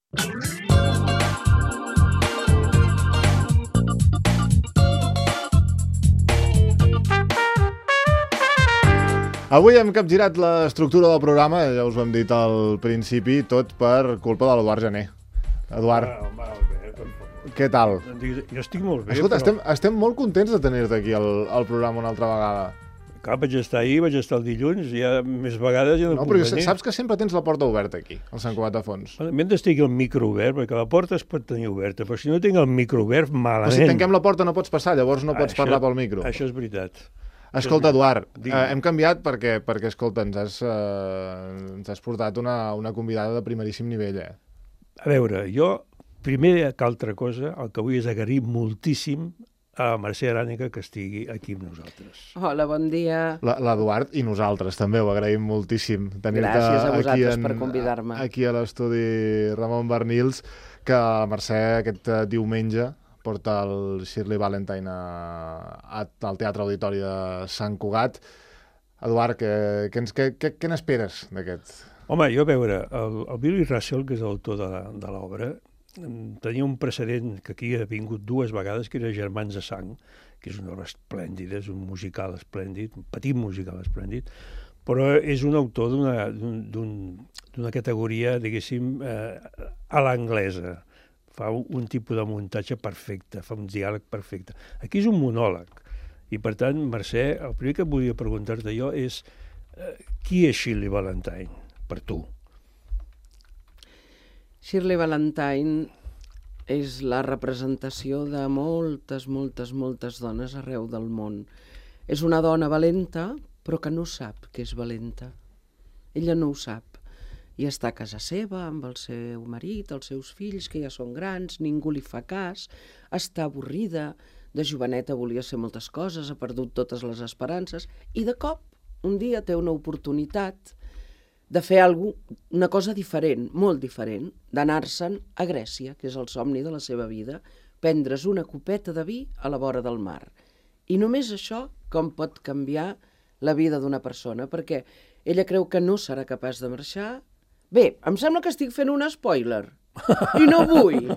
Avui hem capgirat l'estructura del programa, ja us ho hem dit al principi, tot per culpa de l'Eduard Jané. Eduard, què tal? Jo estic molt bé. Escolta, estem molt contents de tenir-te aquí al programa una altra vegada. Clar, vaig estar ahir, vaig estar el dilluns, ja més vegades ja no puc però venir. saps que sempre tens la porta oberta aquí, al Sant Cugat de Fons. M'hem d'estar el micro obert, perquè la porta es pot tenir oberta, però si no tinc el micro obert, malament. Però si tanquem la porta no pots passar, llavors no pots parlar pel micro. Això és veritat. Escolta, Eduard, hem canviat perquè escolta, ens has portat una convidada de primeríssim nivell, eh? A veure, jo, primer que altra cosa, el que vull és agrair moltíssim a Mercè Arànega que estigui aquí amb nosaltres. Hola, bon dia. L'Eduard i nosaltres també ho agraïm moltíssim. Gràcies a vosaltres per convidar-me. Aquí a l'estudi Ramon Barnils, que la Mercè aquest diumenge porta el Shirley Valentine al Teatre Auditori de Sant Cugat. Eduard, què n'esperes d'aquest? Home, jo a veure, el Billy Russell, que és l'autor de l'obra, tenia un precedent que aquí ha vingut 2 vegades, que era Germans de Sang, que és una obra esplèndida, és un musical esplèndid, un petit musical esplèndid, però és un autor d'una categoria, diguéssim, a l'anglesa. Fa un tipus de muntatge perfecte, fa un diàleg perfecte. Aquí és un monòleg, i per tant, Mercè, el primer que volia preguntar-te jo és qui és Shirley Valentine, per tu? Shirley Valentine és la representació de moltes, moltes, moltes dones arreu del món. És una dona valenta, però que no sap que és valenta. Ella no ho sap. I està a casa seva, amb el seu marit, els seus fills, que ja són grans, ningú li fa cas, està avorrida, de joveneta volia ser moltes coses, ha perdut totes les esperances, i de cop, un dia té una oportunitat de fer una cosa diferent, molt diferent, d'anar-se'n a Grècia, que és el somni de la seva vida, prendre's una copeta de vi a la vora del mar. I només això com pot canviar la vida d'una persona, perquè ella creu que no serà capaç de marxar. Bé, em sembla que estic fent un spoiler, i no vull.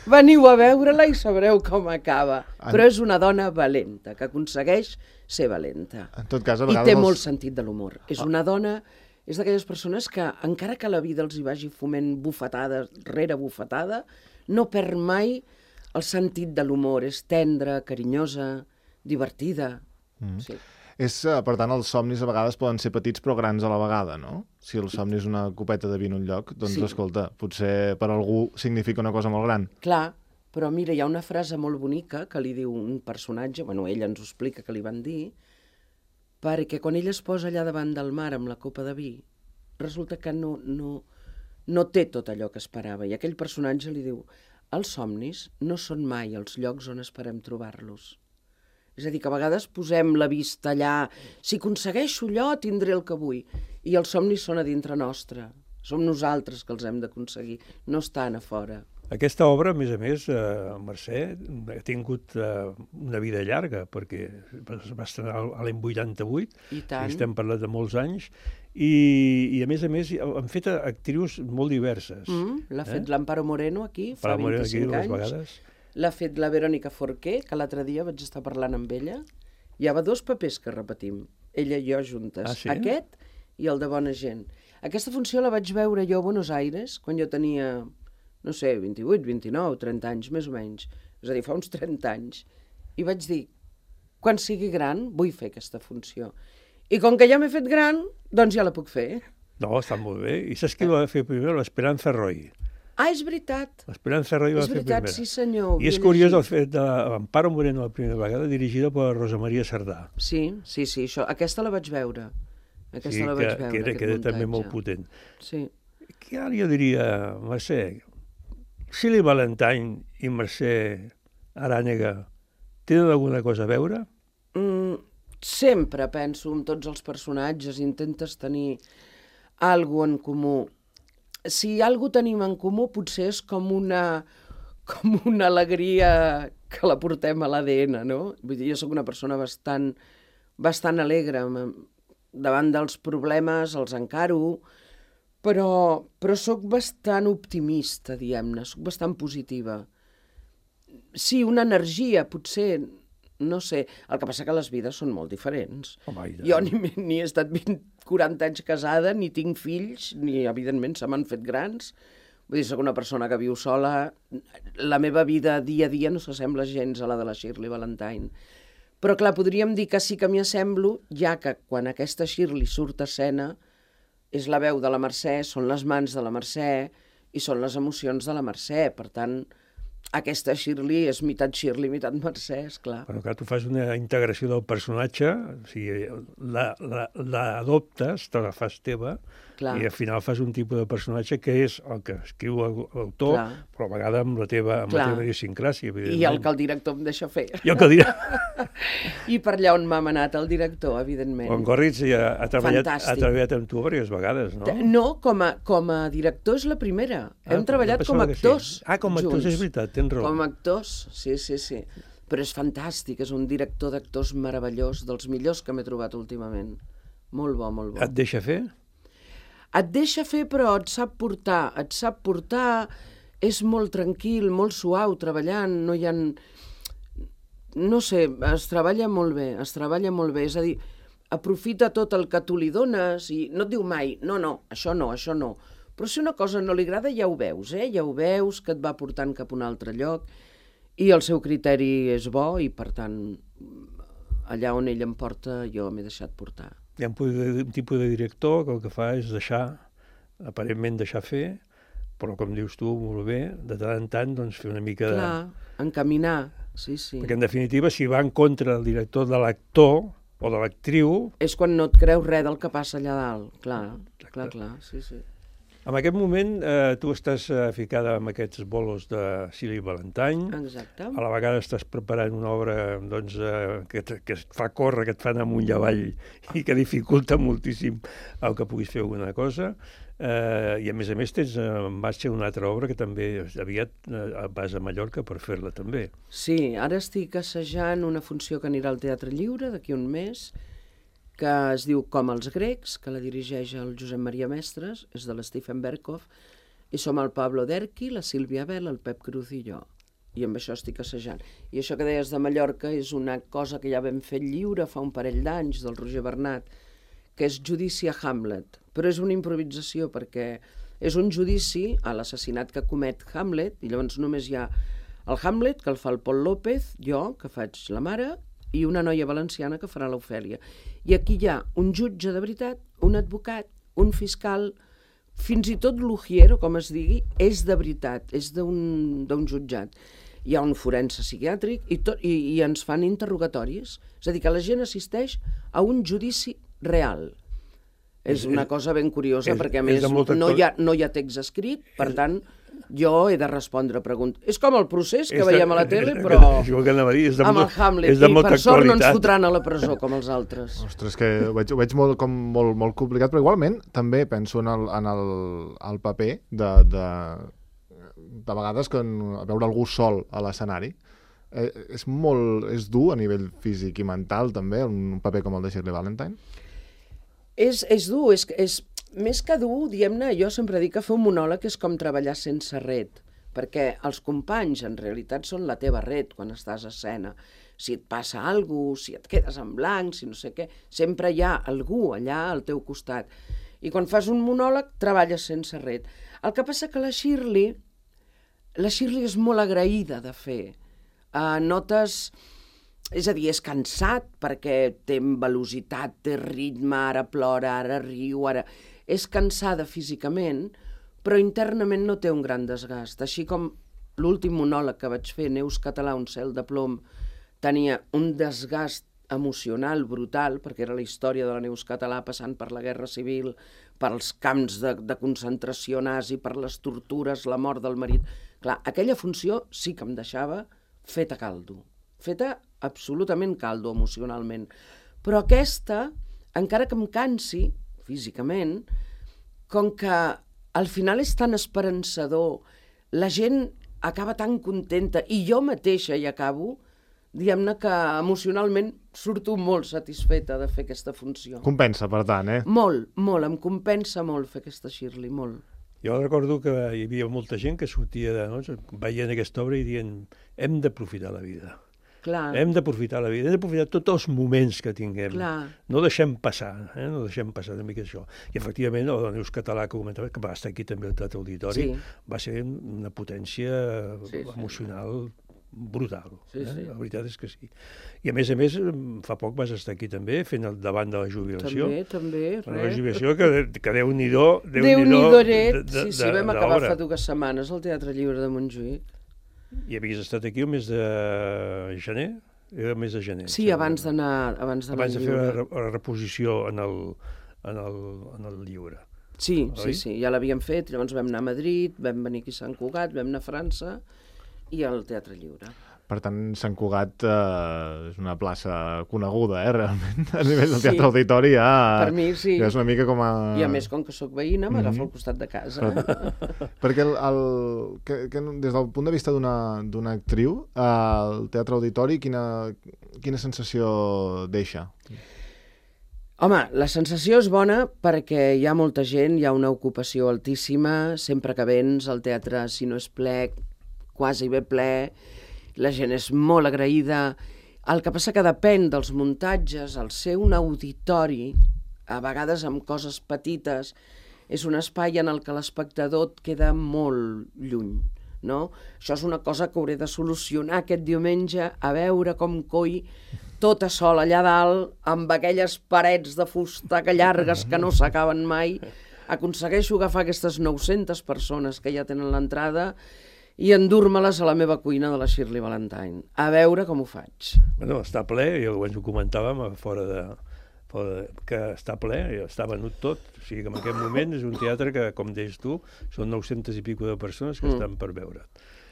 Veniu a veure-la i sabreu com acaba. Però és una dona valenta, que aconsegueix ser valenta. En tot cas, a vegades... I té molt sentit de l'humor. És una dona, és d'aquelles persones que, encara que la vida els hi vagi foment bufetada rere bufetada, no perd mai el sentit de l'humor. És tendra, carinyosa, divertida. Sí. Per tant, els somnis a vegades poden ser petits però grans a la vegada, no? Si el somni és una copeta de vi en un lloc, doncs, sí. Escolta, potser per algú significa una cosa molt gran. Clar, però mira, hi ha una frase molt bonica que li diu un personatge, bueno, ella ens ho explica que li van dir, perquè quan ella es posa allà davant del mar amb la copa de vi, resulta que no té tot allò que esperava. I aquell personatge li diu, els somnis no són mai els llocs on esperem trobar-los. És a dir, que a vegades posem la vista allà, si aconsegueixo allò, tindré el que vull. I els somnis són a dintre nostre. Som nosaltres que els hem d'aconseguir, no estan a fora. Aquesta obra, a més, Mercè, ha tingut una vida llarga, perquè va estrenar a l'any 88, i tant. Estem parlant de molts anys, i a més, han fet actrius molt diverses. L'ha fet l'Amparo Moreno aquí, fa 25 anys. L'ha fet la Verónica Forqué, que l'altre dia vaig estar parlant amb ella. Hi havia 2 papers que repetim, ella i jo juntes. Ah, sí? Aquest i el de Bona gent. Aquesta funció la vaig veure jo a Buenos Aires, quan jo tenia, no sé, 28, 29, 30 anys, més o menys. És a dir, fa uns 30 anys. I vaig dir, quan sigui gran, vull fer aquesta funció. I com que ja m'he fet gran, doncs ja la puc fer. No, està molt bé. I saps qui va fer primer? L'Esperanza Roy. Ah, és veritat. L'Esperanza Roy va fer primera. Sí, senyor. I és curiós el fet d'Amparo Moreno la primera vegada, dirigida per Rosa Maria Sardà. Sí, això. Aquesta la vaig veure. Que era també molt potent. Sí. Que ara jo diria, Mercè, Shirley Valentine i Mercè Arànega tenen alguna cosa a veure? Sempre penso en tots els personatges, intentes tenir alguna en comú. Si alguna tenim en comú, potser és com una alegria que la portem a l'ADN, no? Vull dir, jo sóc una persona bastant alegre. Davant dels problemes els encaro, però sóc bastant optimista, diguem-ne, sóc bastant positiva. Sí, una energia, potser, no sé. El que passa que les vides són molt diferents. Jo ni he estat 40 anys casada, ni tinc fills, ni, evidentment, se m'han fet grans. Vull dir, soc una persona que viu sola. La meva vida dia a dia no s'assembla gens a la de la Shirley Valentine. Però, clar, podríem dir que sí que m'hi assemblo, ja que quan aquesta Shirley surt a escena és la veu de la Mercè, són les mans de la Mercè i són les emocions de la Mercè. Per tant, aquesta Shirley és mitat Shirley, mitat Mercè, esclar. Però clar, tu fas una integració del personatge, o sigui, l'adoptes, te la fas teva, clar. I al final fas un tipus de personatge que és el que escriu l'autor, clar. Però a vegades amb la teva idiosincràsia, evidentment. I el que el director em deixa fer. I per allà on m'ha manat el director, evidentment. En Gorritz ha treballat amb tu diverses vegades, no? No, com a director és la primera. Hem treballat com a actors. Com a actors, és veritat, tens raó. Com a actors, sí. Però és fantàstic, és un director d'actors meravellós, dels millors que m'he trobat últimament. Molt bo, molt bo. Et deixa fer? Et deixa fer, però et sap portar, és molt tranquil, molt suau treballant, no hi ha... No sé, es treballa molt bé, és a dir, aprofita tot el que tu li dones i no et diu mai, no, això no. Però si una cosa no li agrada ja ho veus, ja ho veus, que et va portant cap a un altre lloc i el seu criteri és bo i, per tant, allà on ell em porta jo m'he deixat portar. Hi ha un tipus de director que el que fa és aparentment deixar fer, però com dius tu, molt bé, de tant en tant doncs, fer una mica de... Clar, encaminar, sí. Perquè en definitiva, si va en contra del director de l'actor o de l'actriu... És quan no et creus res del que passa allà dalt, clar, sí. En aquest moment tu estàs ficada amb aquests bolos de Shirley Valentine. Exacte. A la vegada estàs preparant una obra doncs, que et fa córrer, que et fa anar amunt i avall i que dificulta moltíssim el que puguis fer alguna cosa. I a més tens en marxa una altra obra que també aviat vas a Mallorca per fer-la també. Sí, ara estic assajant una funció que anirà al Teatre Lliure d'aquí un mes, que es diu Com els grecs, que la dirigeix el Josep Maria Mestres, és de l'Stephen Berkoff, i som el Pablo Derqui, la Sílvia Bel, el Pep Cruz i jo. I amb això estic assajant. I això que deies de Mallorca és una cosa que ja vam fer lliure fa un parell d'anys, del Roger Bernat, que és Judici a Hamlet. Però és una improvisació perquè és un judici a l'assassinat que comet Hamlet, i llavors només hi ha el Hamlet, que el fa el Pol López, jo, que faig la mare, i una noia valenciana que farà l'Ofèlia. I aquí hi ha un jutge de veritat, un advocat, un fiscal, fins i tot l'ujier, com es digui, és de veritat, és d'un jutjat. Hi ha un forense psiquiàtric i ens fan interrogatoris. És a dir, que la gent assisteix a un judici real. És una cosa ben curiosa, perquè a més no hi ha text escrit, per tant... Jo he de respondre preguntes. És com el procés que veiem a la tele, però amb el Hamlet. I per sort no ens fotran a la presó, com els altres. Ostres, que ho veig molt complicat, però igualment també penso en el paper de vegades que veure algú sol a l'escenari. És dur a nivell físic i mental, també, un paper com el de Shirley Valentine? És dur, és més que dur, diguem-ne, jo sempre dic que fer un monòleg és com treballar sense ret, perquè els companys en realitat són la teva ret quan estàs a escena. Si et passa alguna cosa, si et quedes en blanc, si no sé què, sempre hi ha algú allà al teu costat. I quan fas un monòleg treballes sense ret. El que passa que la Shirley és molt agraïda de fer. Notes... És a dir, és cansat perquè té velocitat, té ritme, ara plora, ara riu, ara... És cansada físicament, però internament no té un gran desgast. Així com l'últim monòleg que vaig fer, Neus Català, un cel de plom, tenia un desgast emocional brutal, perquè era la història de la Neus Català passant per la Guerra Civil, pels camps de concentració nazi, per les tortures, la mort del marit... Clar, aquella funció sí que em deixava feta caldo. Feta absolutament caldo emocionalment. Però aquesta, encara que em cansi físicament, com que al final és tan esperançador, la gent acaba tan contenta, i jo mateixa hi acabo, diguem-ne que emocionalment surto molt satisfeta de fer aquesta funció. Compensa, per tant, Molt, em compensa molt fer aquesta Shirley, molt. Jo recordo que hi havia molta gent que sortia veient aquesta obra i dient hem d'aprofitar la vida. Clar. Hem d'aprofitar la vida, hem d'aprofitar tots els moments que tinguem. Clar. No deixem passar, no deixem passar una mica això. I efectivament, el Neus Català que comentava, que va estar aquí també al Teatre Auditori, va ser una potència emocional brutal. Sí. La veritat és que sí. I a més, fa poc vas estar aquí també, fent el davant de la jubilació. També, La jubilació que Déu-n'hi-do Sí, vam acabar fa 2 setmanes al Teatre Lliure de Montjuïc. I havies estat aquí el mes de gener? Era el mes de gener. Sí, abans d'anar abans de fer la reposició en el Lliure. Sí, ja l'havíem fet, llavors vam anar a Madrid, vam venir aquí a Sant Cugat, vam anar a França i al Teatre Lliure. Per tant, Sant Cugat és una plaça coneguda, realment, a nivell del Teatre Auditori. Per mi, sí. És una mica com a... I a més, com que sóc veïna, m'agafa al costat de casa. Perquè des del punt de vista d'una actriu, el Teatre Auditori, quina sensació deixa? Home, la sensació és bona perquè hi ha molta gent, hi ha una ocupació altíssima, sempre que vens al teatre, si no és ple, quasi bé ple, la gent és molt agraïda. El que passa que depèn dels muntatges, el ser un auditori, a vegades amb coses petites, és un espai en el que l'espectador et queda molt lluny, no? Això és una cosa que hauré de solucionar aquest diumenge, a veure com coi tota sola allà dalt, amb aquelles parets de fusta que llargues que no s'acaben mai, aconsegueixo agafar aquestes 900 persones que ja tenen l'entrada i endur-me-les a la meva cuina de la Shirley Valentine. A veure com ho faig. Bueno, està ple, ja ho comentàvem que està ple, està venut tot. O sigui que en aquest moment és un teatre que, com deies tu, són 900 i pico de persones que estan per veure't.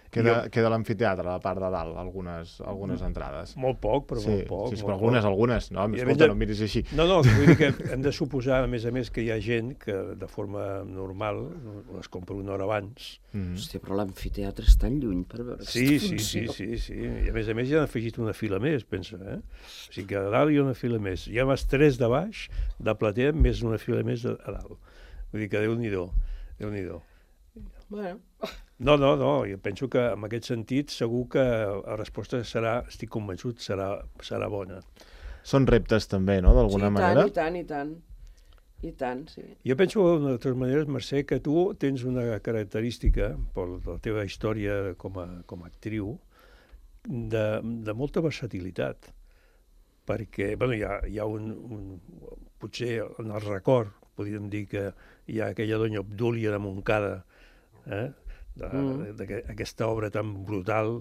Queda l'amfiteatre, a la part de dalt, algunes entrades. Molt poc, però molt poc. Sí, però algunes. No, escolta, no em miris així. No, vull dir que hem de suposar, a més, que hi ha gent que de forma normal les compra una hora abans. Hòstia, però l'amfiteatre és tan lluny per veure aquesta funció. Sí. I a més ja han afegit una fila més, pensa. O sigui que a dalt hi ha una fila més. Hi ha les 3 de baix, de platea, més una fila més a dalt. Vull dir que Déu-n'hi-do. Bueno... No, jo penso que en aquest sentit segur que la resposta serà, estic convençut, serà bona. Són reptes també, no?, d'alguna manera? I tant, sí. Jo penso, de totes maneres, Mercè, que tu tens una característica, per la teva història com a actriu, de molta versatilitat. Perquè, bueno, hi ha potser en el record, podríem dir que hi ha aquella doña Obdúlia de Montcada, d'aquesta obra tan brutal,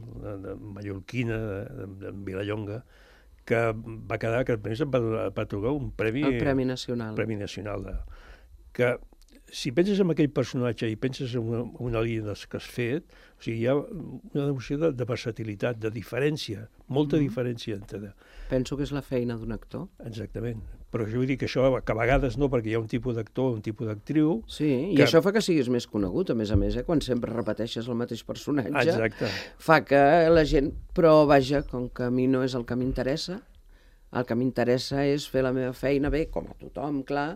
mallorquina, de Vilallonga, que va quedar, que va atorgar un premi... El Premi Nacional. Premi Nacional. Que si penses en aquell personatge i penses en una línia dels que has fet, o sigui, hi ha una noció de versatilitat, de diferència, molta diferència entre... Penso que és la feina d'un actor. Exactament. Però jo vull dir que això, que a vegades no, perquè hi ha un tipus d'actor, un tipus d'actriu... Sí, i això fa que siguis més conegut, a més, quan sempre repeteixes el mateix personatge. Exacte. Fa que la gent... Però, vaja, com que a mi no és el que m'interessa, el que m'interessa és fer la meva feina bé, com a tothom, clar,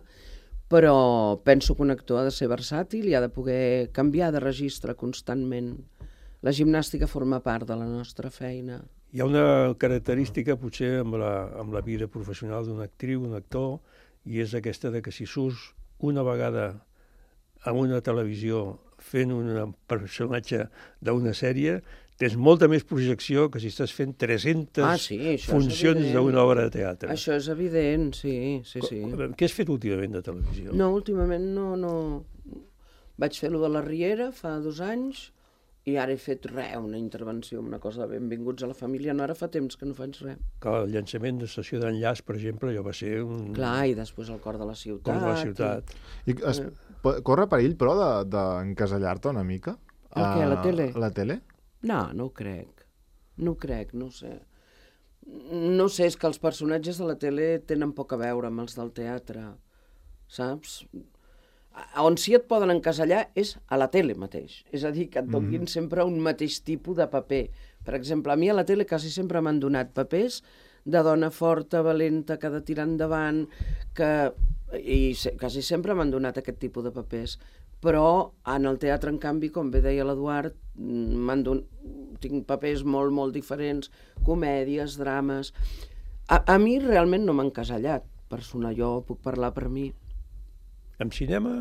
però penso que un actor ha de ser versàtil i ha de poder canviar de registre constantment. La gimnàstica forma part de la nostra feina. Hi ha una característica, potser, amb la vida professional d'una actriu, un actor, i és aquesta de que si surts una vegada en una televisió fent un personatge d'una sèrie, tens molta més projecció que si estàs fent 300 funcions d'una obra de teatre. Això és evident, sí. Què has fet últimament de televisió? No, últimament no. Vaig fer-lo de la Riera fa 2 anys, i ara he fet una intervenció, una cosa de benvinguts a la família. No, ara fa temps que no faig res. Clar, el llançament de Estació d'Enllaç, per exemple, allò va ser un... Clar, i després el Cor de la Ciutat. Cor de la Ciutat. Corre perill, però, d'encasellar-te una mica? El què, la tele? La tele? No ho crec. No ho crec, no ho sé. No sé, és que els personatges de la tele tenen poc a veure amb els del teatre, saps? On sí et poden encasellar és a la tele mateix. És a dir, que et donin sempre un mateix tipus de paper. Per exemple, a mi a la tele quasi sempre m'han donat papers de dona forta, valenta, que ha de tirar endavant, quasi sempre m'han donat aquest tipus de papers. Però en el teatre, en canvi, com bé deia l'Eduard, tinc papers molt, molt diferents, comèdies, drames... A mi realment no m'han casellat, jo puc parlar per mi. En cinema...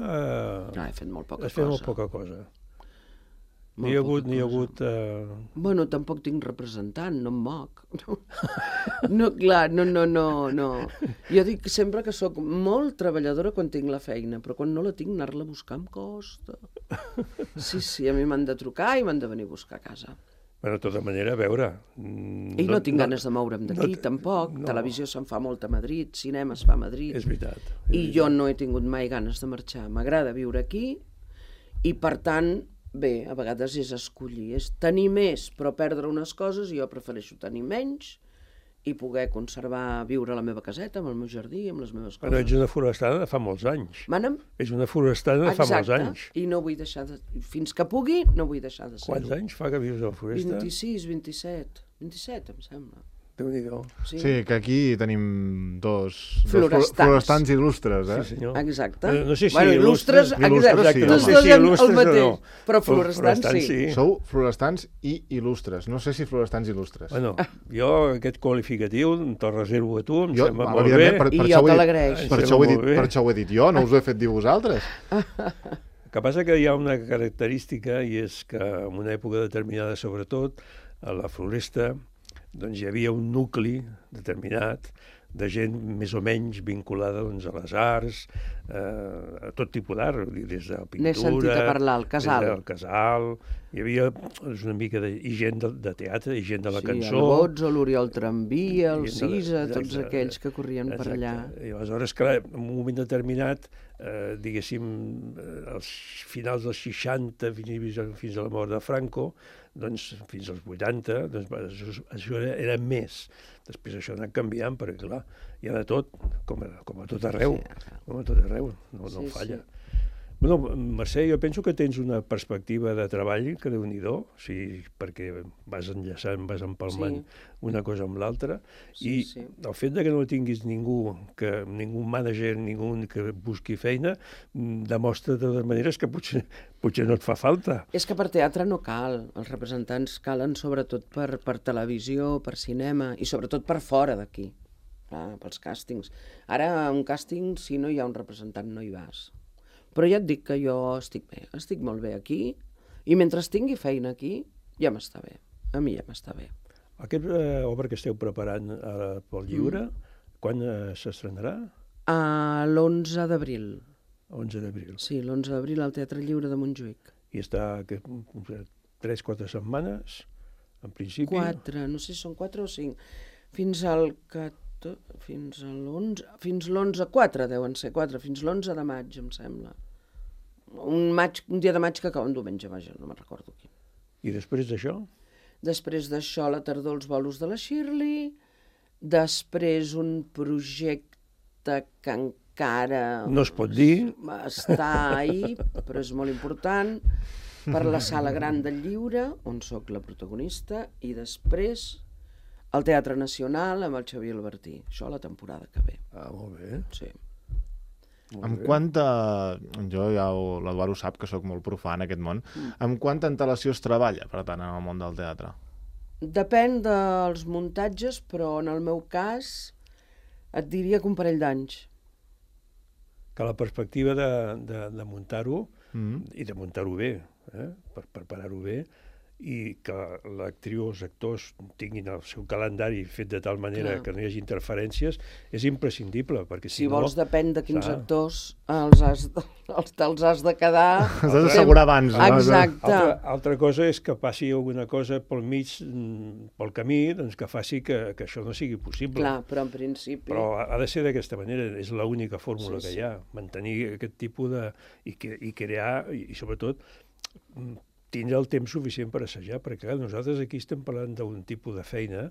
He fet molt poca cosa. Has fet molt poca cosa. N'hi ha hagut... Bueno, tampoc tinc representant, no em moc. No, clar, no. Jo dic sempre que sóc molt treballadora quan tinc la feina, però quan no la tinc, anar-la a buscar em costa. Sí, a mi m'han de trucar i m'han de venir a buscar a casa. Bueno, de tota manera, a veure... I no tinc ganes de moure'm d'aquí, tampoc. Televisió se'n fa molt a Madrid, cinema es fa a Madrid. És veritat. I jo no he tingut mai ganes de marxar. M'agrada viure aquí i, per tant, bé, a vegades és escollir. És tenir més però perdre unes coses i jo prefereixo tenir menys i poder conservar, viure a la meva caseta, amb el meu jardí, amb les meves coses. Però ets una forastana de fa molts anys. Mana'm? Ets una forastana de fa molts anys. Exacte, i no vull deixar de... Fins que pugui, no vull deixar de ser-ho. Quants anys fa que vius a la foresta? 26, 27. 27, em sembla. Déu-n'hi-do. Sí, que aquí tenim dos Florestans il·lustres, Sí, senyor. Exacte. No sé si il·lustres, exacte. Tots dos el mateix, però florestans sí. Sou florestans i il·lustres. No sé si florestans il·lustres. Bueno, jo aquest qualificatiu te'l reservo a tu, em sembla molt bé. I jo te l'agraeixo. Per això ho he dit jo, no us ho he fet dir vosaltres. El que passa que hi ha una característica i és que en una època determinada, sobretot, a la floresta, doncs hi havia un nucli determinat de gent més o menys vinculada doncs, a les arts, a tot tipus d'art, des de la pintura... N'he sentit a parlar, el casal. Des del casal, hi havia una mica i gent de teatre, i gent de la cançó... Sí, el Bozzo, l'Oriol Tramvia, el Cisa, tots aquells que corrien per allà. I aleshores, clar, en un moment determinat, diguéssim, als finals dels 60, fins a la mort de Franco, doncs fins als 80, doncs, això era més. Després això ha anat canviant, perquè clar, hi ha de tot, com a tot arreu, com a tot arreu, no falla. Bueno, Mercè, jo penso que tens una perspectiva de treball que Déu-n'hi-do, perquè vas enllaçant, vas empalmant una cosa amb l'altra, i el fet de que no tinguis ningú mànager, ningú que busqui feina, demostra de totes maneres que potser no et fa falta. És que per teatre no cal, els representants calen sobretot per televisió, per cinema, i sobretot per fora d'aquí, pels càstings. Ara, un càsting, si no hi ha un representant, no hi vas. Però ja et dic que jo estic bé, estic molt bé aquí, i mentre tingui feina aquí, ja m'està bé. A mi ja m'està bé. Aquesta obra que esteu preparant pel lliure, quan s'estrenarà? L'11 d'abril. 11 d'abril. Sí, l'11 d'abril al Teatre Lliure de Montjuïc. I està 3-4 setmanes, en principi? 4, no sé si són 4 o 5. Fins l'11, 4 deuen ser, 4, fins l'11 de maig, em sembla. Un dia de maig que acaba un diumenge, vaja, no me'n recordo quin. I després d'això? Després d'això, a la tardor, els bolos de la Shirley, després un projecte que encara... No es pot dir. Està ahí, però és molt important, per la Sala Gran del Lliure, on sóc la protagonista, i després al Teatre Nacional amb el Xavier Albertí. Això a la temporada que ve. Molt bé. Sí. Amb quanta... Jo ja l'Eduard ho sap, que sóc molt profà en aquest món. Amb quanta antelació es treballa, per tant, en el món del teatre? Depèn dels muntatges, però en el meu cas et diria que un parell d'anys. Que la perspectiva de muntar-ho, i de muntar-ho bé, per preparar-ho bé, i que l'actriu o els actors tinguin el seu calendari fet de tal manera que no hi hagi interferències, és imprescindible, perquè si no... vols, depèn de quins actors te'ls has de quedar... Has d'assegurar abans. Exacte. Altra cosa és que passi alguna cosa pel mig, pel camí, doncs que faci que això no sigui possible. Clar, però en principi... Però ha de ser d'aquesta manera, és l'única fórmula que hi ha, mantenir aquest tipus de... i crear, i sobretot... tindre el temps suficient per assajar, perquè nosaltres aquí estem parlant d'un tipus de feina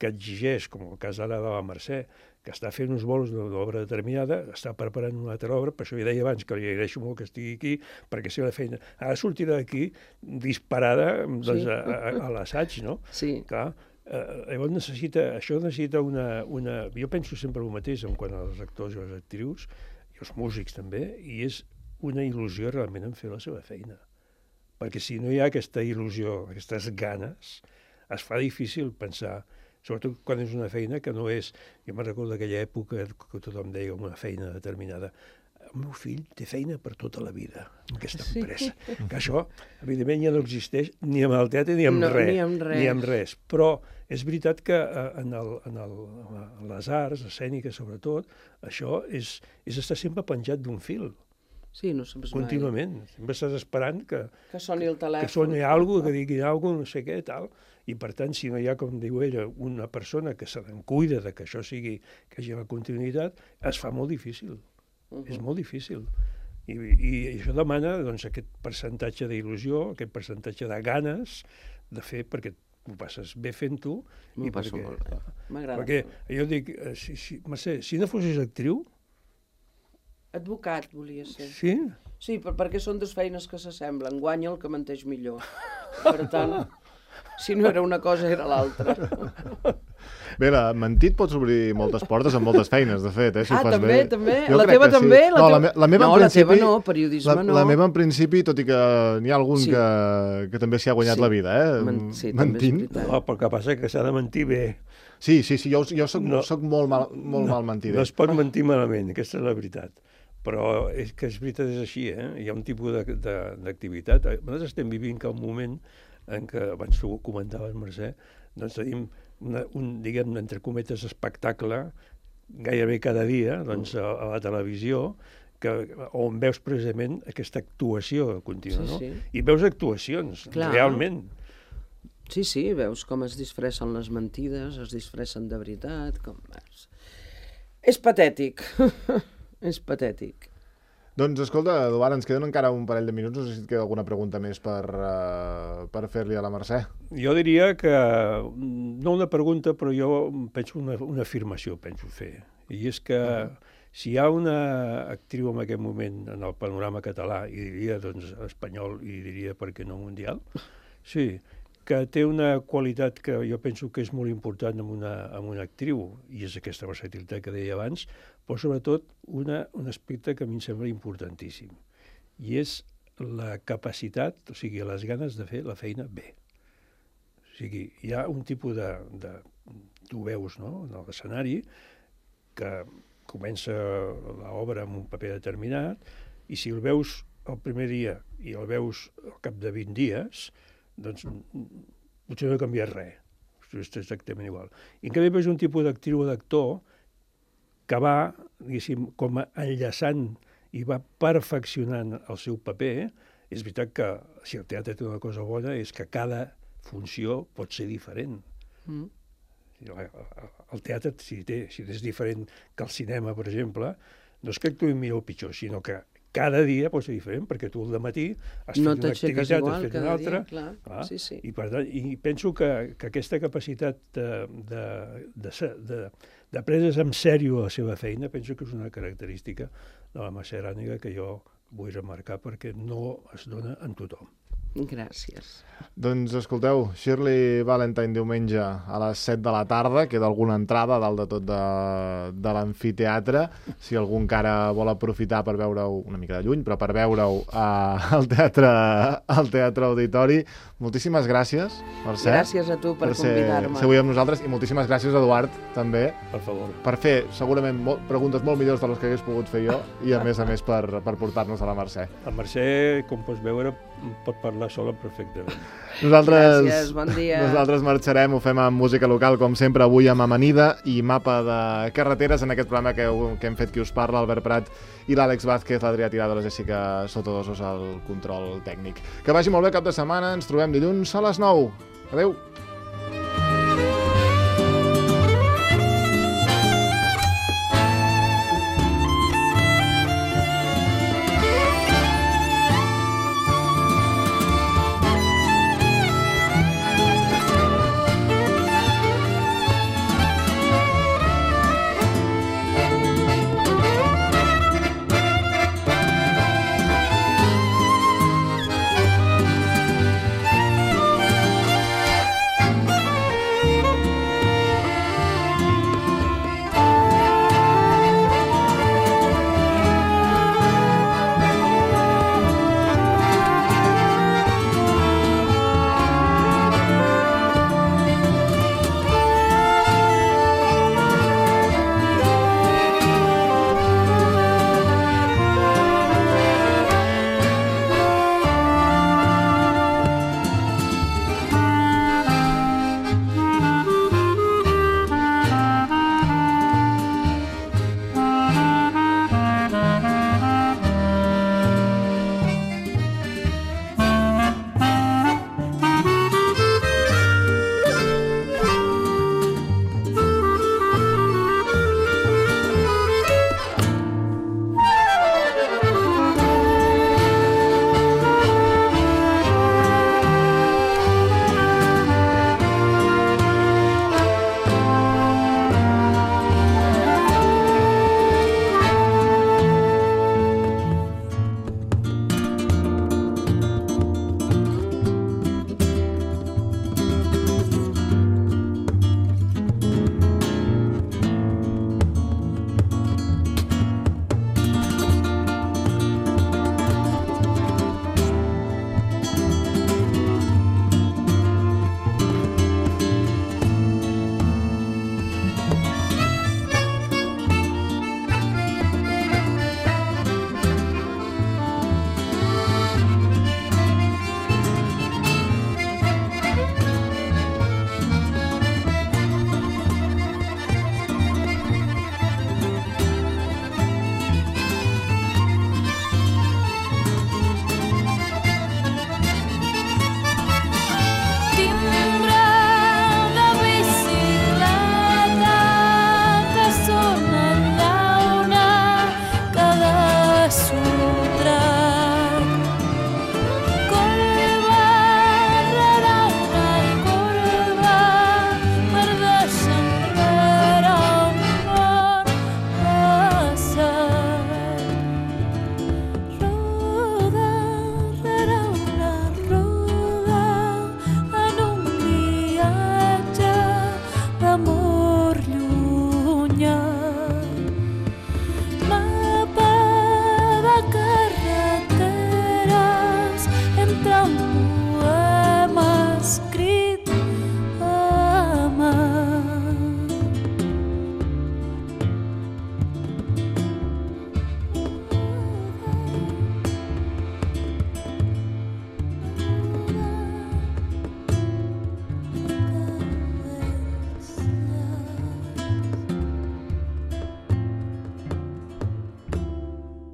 que exigeix, com el cas ara de la Mercè, que està fent uns bolos d'una obra determinada, està preparant una altra obra, per això ja deia abans que li agraeixo molt que estigui aquí, perquè si la feina ara sortirà d'aquí disparada doncs, a l'assaig, no? Sí. Clar, llavors això necessita una... Jo penso sempre el mateix en quant als actors i les actrius, i els músics també, i és una il·lusió realment en fer la seva feina. Perquè si no hi ha aquesta il·lusió, aquestes ganes, es fa difícil pensar, sobretot quan és una feina que no és... Jo me'n recordo d'aquella època que tothom deia una feina determinada. El meu fill té feina per tota la vida en aquesta empresa. Que això, evidentment, ja no existeix ni amb el teatre ni amb res. Ni amb res. Però és veritat que en les arts escèniques, sobretot, això és estar sempre penjat d'un fil. Sí, no saps mai. Contínuament. Sempre estàs esperant que soni el telèfon. Que soni alguna cosa, que digui alguna cosa, no sé què, tal. I, per tant, si no hi ha, com diu ella, una persona que se n'en cuida de que això sigui, que hi hagi la continuïtat, es fa molt difícil. És molt difícil. I això demana doncs, aquest percentatge d'il·lusió, aquest percentatge de ganes de fer, perquè ho passes bé fent-ho. M'ho passo molt bé. M'agrada. Perquè jo dic, Mercè, si no fossis actriu... Advocat, volia ser. Sí? Sí, perquè són dues feines que s'assemblen. Guanya el que menteix millor. Per tant, si no era una cosa, era l'altra. Bé, mentit pots obrir moltes portes amb moltes feines, de fet, si ho fas també, bé. també? La teva també? No, la meva no, la teva no, periodisme no. La meva en principi, tot i que n'hi ha algun que també s'hi ha guanyat la vida, Sí, mentint. No, però el que passa és que s'ha de mentir bé. Sí, jo soc molt mal mentider. No es pot mentir malament, aquesta és la veritat. Però és que és veritat, és així, Hi ha un tipus d'activitat. Nosaltres estem vivint un moment en què, abans tu ho comentaves, Mercè, doncs tenim diguem, entre cometes, espectacle gairebé cada dia doncs, a la televisió, on veus precisament aquesta actuació contínua, no? I veus actuacions, realment. Sí, veus com es disfressen les mentides, es disfressen de veritat, com... És patètic. És patètic. Doncs, escolta, Eduard, ens queden encara un parell de minuts. No sé si et queda alguna pregunta més per fer-li a la Mercè. Jo diria que, no una pregunta, però jo penso una afirmació, penso fer. I és que si hi ha una actriu en aquest moment en el panorama català, i diria doncs espanyol, i diria per què no mundial, sí, que té una qualitat que jo penso que és molt important en una actriu, i és aquesta versatilitat que deia abans, però sobretot un aspecte que a mi em sembla importantíssim, i és la capacitat, o sigui, les ganes de fer la feina bé. O sigui, hi ha un tipus tu veus, no?, en l'escenari, que comença l'obra amb un paper determinat, i si el veus el primer dia i el veus al cap de 20 dies, doncs potser no ha canviat res, és exactament igual. I en canvi veus un tipus d'actriu o d'actor que va, diguéssim, com enllaçant i va perfeccionant el seu paper. És veritat que si el teatre té una cosa bona és que cada funció pot ser diferent. El teatre, si és diferent que el cinema, per exemple, no és que actuï millor o pitjor, sinó que cada dia pot ser diferent, perquè tu al dematí has fet una activitat, has fet una altra. I per tant, i penso que aquesta capacitat de prendre's en sèrio la seva feina, penso que és una característica de la Mercè Arànega que jo vull remarcar perquè no es dona en tothom. Gràcies. Doncs escolteu, Shirley Valentine diumenge a les 7 de la tarda, queda alguna entrada dalt de tot de l'amfiteatre, si algú encara vol aprofitar per veure-ho una mica de lluny, però per veure-ho al Teatre Auditori. Moltíssimes gràcies, Mercè. Gràcies a tu per convidar-me. Ser avui amb nosaltres, i moltíssimes gràcies, Eduard, també. Per favor. Per fer segurament preguntes molt millors de les que hagués pogut fer jo, i a més per portar-nos a la Mercè. La Mercè, com pots veure, pot parlar sola perfectament. Gràcies, bon dia. Nosaltres marxarem, ho fem amb música local, com sempre, avui amb Amanida i Mapa de Carreteres, en aquest programa que hem fet qui us parla, Albert Prat i l'Àlex Vázquez, l'Adrià Tirado, la Jessica Sotodosos al control tècnic. Que vagi molt bé cap de setmana, ens trobem dilluns a les 9. Adéu.